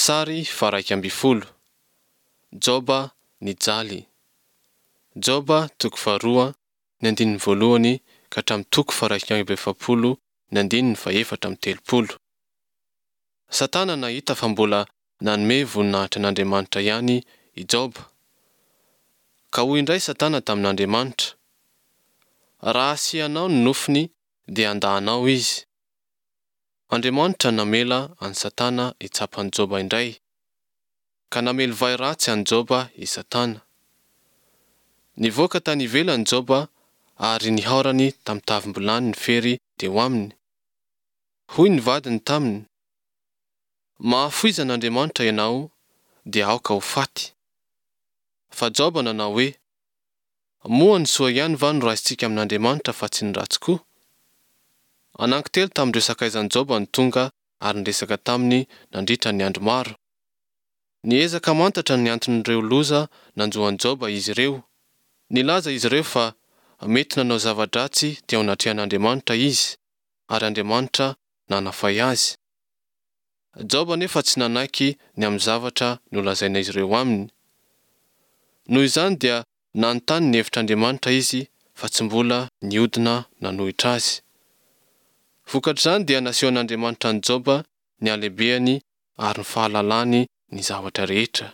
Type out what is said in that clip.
Sary faha 11. Joba nijaly. Joba toko faharoa ny andininy voalohany ka hatramin'ny toko faha 41 ny andininy faha-34. Satana nahita fa mbola nanome voninahitra an'Andriamanitra ihany i Joba. Ka hoy indray Satana tamin'Andriamanitra, Raha asianao ny nofony, dia handà Anao izy. Andriamanitra namela an'i Satana hitsapa an'i Joba indray, ka namely vay ratsy an'i Joba i Satana. Nivoaka tany ivelany Joba ary nihaorany tamin'ny tavim-bilany ny fery teo aminy. Hoy ny vadiny taminy, Mahafoiza an'Andriamanitra ianao, dia aoka ho faty. Fa Joba nanao hoe, Moa ny soa ihany va no raisintsika amin'Andriamanitra fa tsy ny ratsy koa? Anankitelo tamin'ireo sakaizan'i Joba no tonga ary niresaka taminy nandritra ny andro maro. Niezaka hamantatra ny anton'ireo loza nanjo an'i Joba izy ireo. Nilaza izy ireo fa mety nanao zava-dratsy teo anatrehan'Andriamanitra izy, ary Andriamanitra nanafay azy. Joba anefa tsy nanaiky ny amin'ny zavatra nolazain'izy ireo aminy. Noho izany dia nanontany ny hevitr'Andriamanitra izy fa tsy mbola niodina nanohitra azy. Vokatr'izany dia nasehon'Andriamanitra an'i Joba ny halehibehany ary ny fahalalany ny zavatra rehetra.